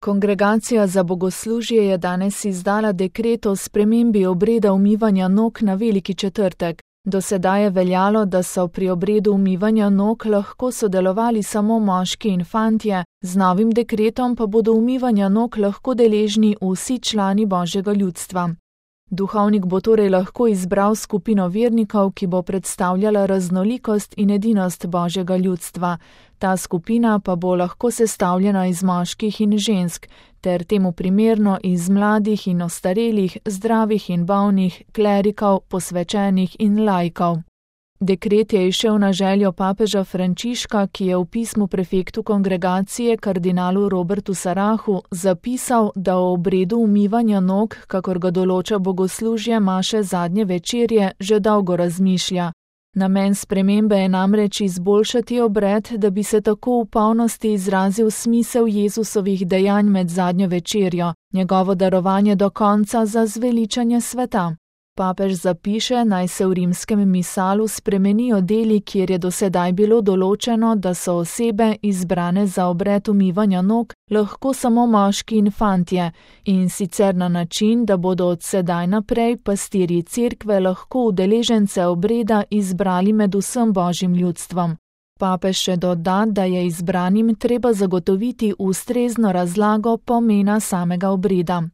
Kongregacija za bogoslužje je danes izdala dekret o spremembi obreda umivanja nog na Veliki četrtek. Do sedaj je veljalo, da so pri obredu umivanja nog lahko sodelovali samo moški in fantje, z novim dekretom pa bodo umivanja nog lahko deležni vsi člani Božjega ljudstva. Duhovnik bo torej lahko izbral skupino vernikov, ki bo predstavljala raznolikost in edinost Božjega ljudstva. Ta skupina pa bo lahko sestavljena iz moških in žensk, ter temu primerno iz mladih in ostarelih, zdravih in bolnih, klerikov, posvečenih in laikov. Dekret je izšel na željo papeža Frančiška, ki je v pismu prefektu kongregacije kardinalu Robertu Sarahu zapisal, da o obredu umivanja nog, kakor ga določa bogoslužje maše zadnje večerje, že dolgo razmišlja. Namen spremembe je namreč izboljšati obred, da bi se tako v polnosti izrazil smisel Jezusovih dejanj med zadnjo večerjo, njegovo darovanje do konca za zveličanje sveta. Papež zapiše, naj se v rimskem misalu spremenijo deli, kjer je do sedaj bilo določeno, da so osebe, izbrane za obred umivanja nog, lahko samo moški in fantje, in sicer na način, da bodo od sedaj naprej pastirji cerkve lahko udeležence obreda izbrali med vsem Božjim ljudstvom. Papež še doda, da je izbranim treba zagotoviti ustrezno razlago pomena samega obreda.